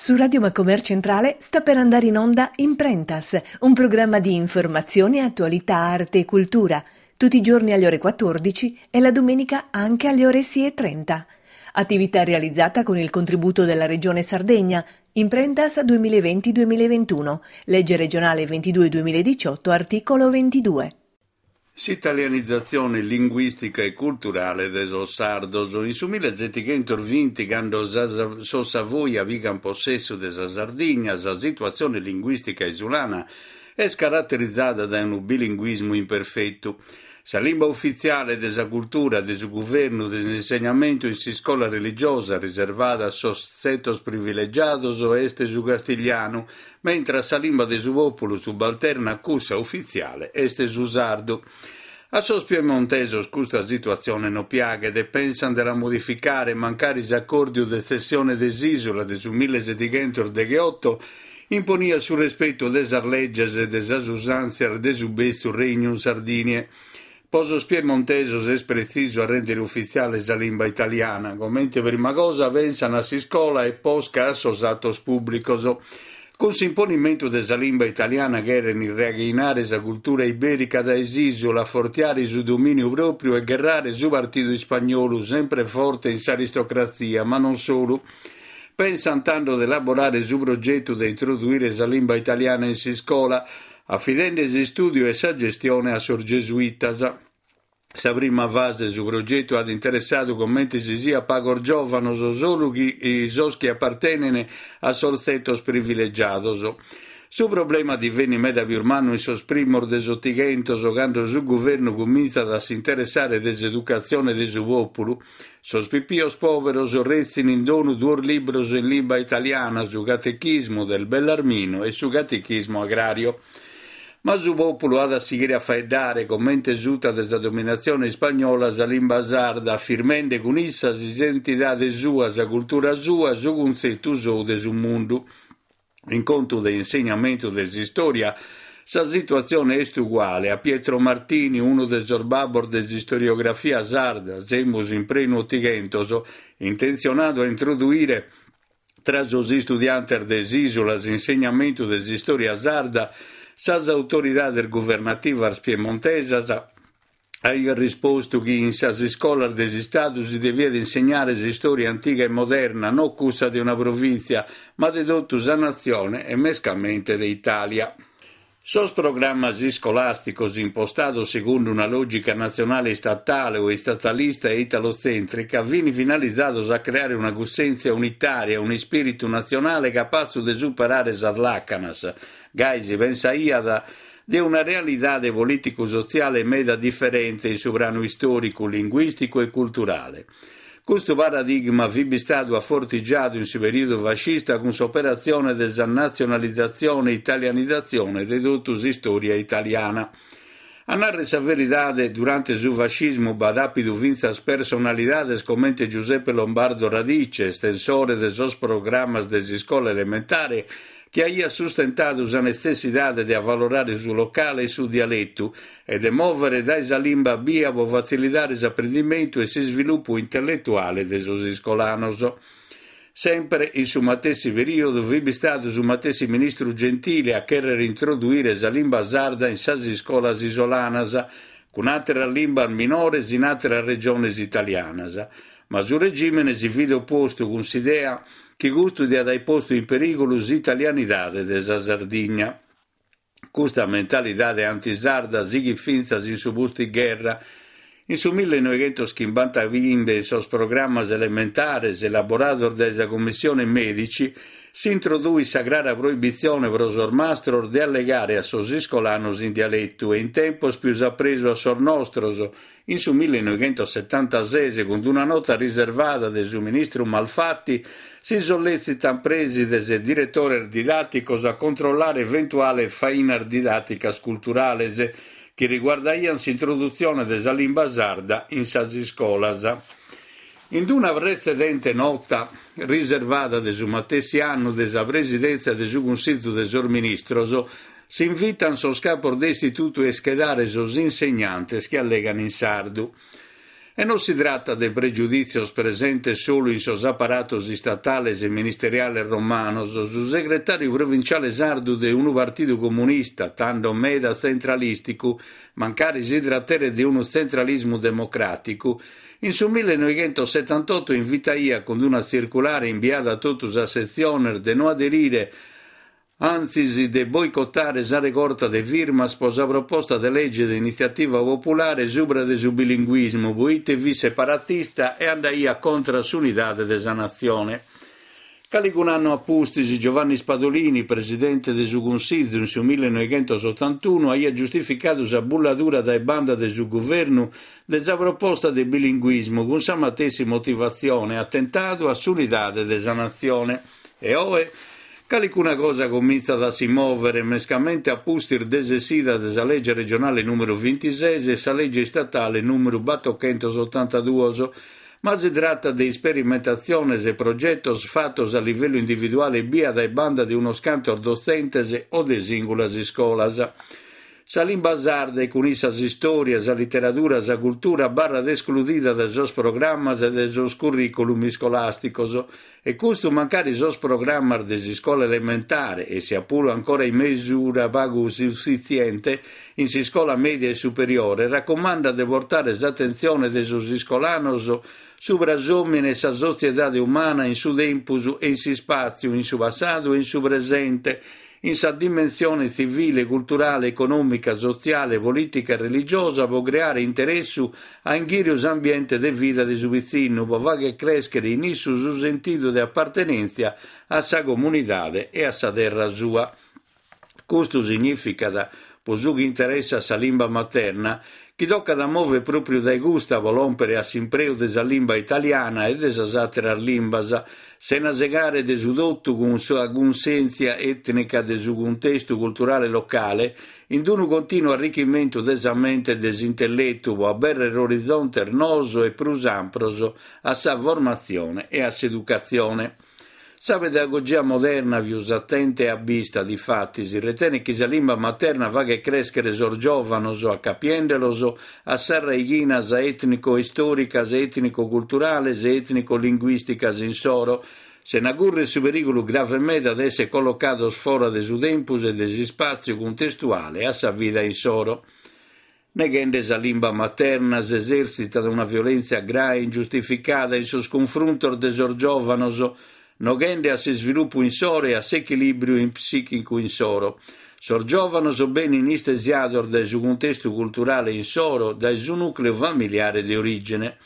Su Radio Macomer Centrale sta per andare in onda Imprentas, un programma di informazione, attualità, arte e cultura, tutti i giorni alle ore 14 e la domenica anche alle ore 6.30. Attività realizzata con il contributo della Regione Sardegna, Imprentas 2020-2021, legge regionale 22-2018, articolo 22. S'italianizatzione linguìstica e culturale de sos sardos. In su millesetighentos-binti, cando sos Savoia pigan possessu de sa Sardigna, sa situatzione linguìstica isulana est caraterizada dae unu bilinguismu imperfetu. Sa limba ufitziale de sa cultura, de su guvernu, de s'insegnamentu in s'iscola religiosa riservada a sos tzetos privilegiados est su castiglianu, mentras sa limba de su pòpulu subalterna a cussa ufitziale est su sardu. A sos piemontesos custa situatzione no piaghet e pensant de la modificare, mancari s'acòrdiu de tzessione de s'ìsula de su millesetighentos-degheoto imponiat su respetu de sas leges e de sas usàntzias de su betzu Regnum Sardiniae. Po sos piemontesos est pretzisu a rèndere ufitziale sa limba italiana, comente prima cosa pensan a s'iscola e posca a sos atos pùblicos. Cun s'imponimentu de sa limba italiana cheren irraighinare sa cultura ibèrica dae s'ìsula, afortiare su domìniu pròpriu e gherrare su partidu ispagnolu, sempre forte in s'aristocratzia, ma non solu. Pensan tando de elaborare su progetu de introduire sa limba italiana in s'iscola, afidende s'istùdiu e sa gestione a sos gesuitas. Sa prima fase de su progetu at interessadu comente si siat pagos giòvanos, solu chi sos chi apartenen a sos tzetos privilegiados. Su problema divenit meda pius mannu in sos primos de s'Otighentos, cando su guvernu cumintzat a s'interessare de s'educatzione de su pòpulu. Sos pipios pòberos retzin in donu duos libros in limba italiana, su Catechismo del Bellarmino e su Catechismo Agrario. Ma su pòpulu at a sighire a faeddare, comente suta de sa dominatzione ispagnola, sa limba sarda, afirmende cun issa s'identidade sua, sa cultura sua, su cuntzetu sou de su mundu. In contu de insegnamentu de s'istòria, sa situatzione est uguale. A Pietro Martini, unu de sos babbos de s'istoriografia sarda, semus in prenu Otighentos, intentzionadu a introduire tra sos istudiantes de s'ìsula s'insegnamentu de s'istòria sarda, sas autoridades guvernativas piemontesas, Aiat rispostu chi in sas iscolas de s'Istadu si deviat insegnare s'istòria antiga e moderna, no cussa de una provìntzia, ma de totu sa natzione e mescamente de Itàlia. Sos programmas iscolàsticos impostados segundu una lògica natzionale istatale o istatalista e italotzèntrica fin finalizados a creare una cussèntzia unitària, un'ispìritu natzionale capatzu de superare sas làcanas, gai si pensaiat, de una realidade polìticu-sotziale meda diferente in su pranu istòricu, linguìsticu e culturale. Custu paradigma fit bistadu afortigiadu in su perìodu fascista cun s'operatzione de sa natzionalizatzione e italianizatzione de totu s'istòria italiana. A nàrrere sa veridade, durante su fascismu b'at àpidu fintzas personalidades comente Giuseppe Lombardo Radice, estensore de sos programmas de s'iscola elementare, chi aiat sustentadu sa netzessidade de avalorare su locale e su dialetu e de mòvere dae sa limba bia pro fatzilidare s'aprendimentu e s'isvilupu intelletuale de sos iscolanos. Semper in su matessi perìodu fit bistadu su matessi ministru Gentile a chèrrere introduire sa limba sarda in sas iscolas isolanas, cun àteras limbas minores in àteras regiones italianas, Ma su regìmene si fit opostu cun s'idea chi custu diat aer postu in perìgulu s'italianidade de sa Sardigna. Custa mentalidade antisarda sighit fintzas in su pustigherra. In su millenoighentoschimbantaghimbe in sos programmas elementares elaborados dae sa Commissione Medici s'introduit sa crara proibitzione pro sos mastros de allegare a sos iscolanos in dialetu e in tempos pius a presu a sos nostros, In su millenoighentosetantases, cun una nota riservada de su ministru Malfatti, si solletzitan prèsides e diretores didàticos a controllare eventuales fainas didàticas culturales chi riguardaian s'introdutzione de sa limba sarda in sas iscolas. In una pretzedente nota riservada de su matessi annu de sa Presidèntzia de su Cunsizu de sos Ministros, S'invitan sos capos de istitutu a ischedare sos insegnantes chi allegan in sardu. E non si tratat de pregiudìtzios presentes solu in sos aparatos istatales e ministeriales romanos, su segretàriu provinciale sardu de unu partidu comunista, tando meda tzentralìsticu, mancari si trateret de unu tzentralismu democràticu, in su millenoighentosetantoto invitaiat cun una tzirculare imbiada a totu sas setziones de no aderire antzis de boicotare sa regorta de firmas pro sa proposta de lege de initziativa populare subra de su bilinguismu poite fit separatista e andaiat contra s'unidade de sa natzione. Calicun'annu a pustis Giovanni Spadolini, presidente de su Cunsizu in su millenoighentosotantunu, aiat giustificadu sa bulladura dae banda de su guvernu de sa proposta de bilinguismu cun sa matessi motivatzione, atentadu a s'unidade de sa natzione. E oe? Calicuna cosa comintzat a si mòvere, mescamente a pustis de s'essida de sa lege regionale nùmeru bintises e sa lege istatale nùmeru batochentosotantaduos, ma si tratat de isperimentatziones e progetos fatos a livellu individuale ebbia dae banda de unos cantos dotzentes o de sìngulas iscolas. Sa limba sarda e cun issa s'istòria, sa literadura, sa cultura abarrat escludida dae sos programmas e dae sos curriculum iscolàsticos e custu mancari sos programmas de s'iscola elementare e sia puru ancora in mesura pagu sufitziente in s'iscola mèdia e superiore racumandat de portare s'atentzione de sos iscolanos subra s'òmine e sa sotziedade umana in su tempus e in s'ispàtziu, in su passadu e in su presente, in sa dimensione tzivile, culturale, econòmica, sotziale, polìtica e religiosa pro creare interessu a inghìriu s'ambiente de vida de su pitzinnu, pro fagher crèschere in issu su sentidu de apartenèntzia a sa comunidade e a sa terra sua. Custu signìficat, pro su chi interessat sa limba materna, chi tocat a mòvere pròpriu dae custa pro lòmpere a s'impreu de sa limba italiana e de sas àteras limbas, sena segare de su totu cun sa cunsèntzia ètnica de su cuntestu culturale locale, in unu continu arrichimentu de sa mente e de s'intelletu pro abèrrere orizontes noos e prus ampros a sa formatzione e a s'educatzione. Sa pedagogia moderna pius atenta e abbista, difatis, retenet chi sa limba materna faghet crèschere sos giòvanos acapiende·los a sas raighinas ètnico-istòricas, ètnico-culturales e ètnico-linguìsticas insoro, sena cùrrere su perìgulu grave meda de èssere collocados fora de su tempus e de s'ispàtziu cuntestuale a sa vida insoro. Neghende sa limba materna s'esèrtzitat una violèntzia grae e ingiustificada in sos cunfruntos de sos giòvanos, noghende a s'isvilupu insoro e a s'echilìbriu psìchicu insoro. Sos giòvanos benin istesiados dae su cuntestu culturale insoro, dae su nùcleu familiare de orìgine.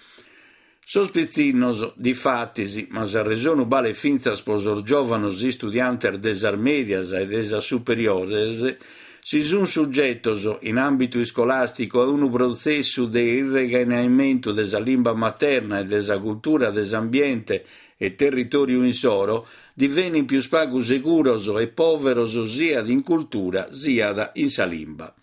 Sos pitzinnos, difatis, ma s'arresonu balet fintzas pro sos giòvanos istudiantes de sas mèdias e de sas superiores, si sunt sugetos, in àmbitu iscolàsticu, a unu protzessu de irraighinamentu de sa limba materna e de sa cultura de s'ambiente e territòriu insoro, divenint pius pagu seguros e pòveros siat in cultura siat in sa limba.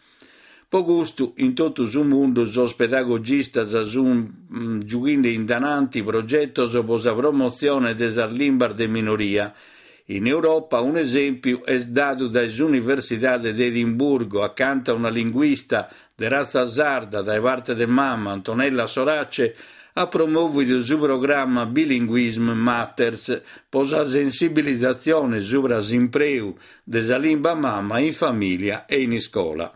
Pro custu, in totu su mundu sos pedagogistas sunt giughende in dananti progetos pro sa promotzione de sas limbas de minoria. In Europa un'esèmpiu est dadu dae s'Universidade de Edimburgo, acanta una linguista de ratza sarda dae parte de mama, Antonella Sorace, at promòvidu su programma Bilinguism Matters pro sa sensibilizatzione subra s'impreu de sa limba mama in famìlia e in iscola.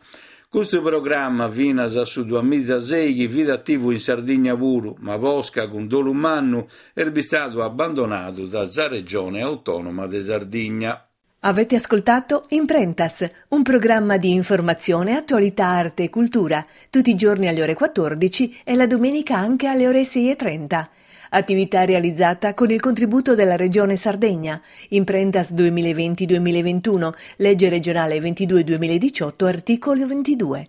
Custu programma finas a su duamizaseighi fit ativu in Sardigna puru, ma posca, cun dolu mannu, est bistadu abbandonadu da sa Regione Autònoma de Sardigna. Avete ascoltato Imprentas, un programma di informazione, attualità, arte e cultura, tutti i giorni alle ore 14 e la domenica anche alle ore 6.30. Attività realizzata con il contributo della Regione Sardegna. Imprentas 2020-2021, legge regionale 22 2018, articolo 22.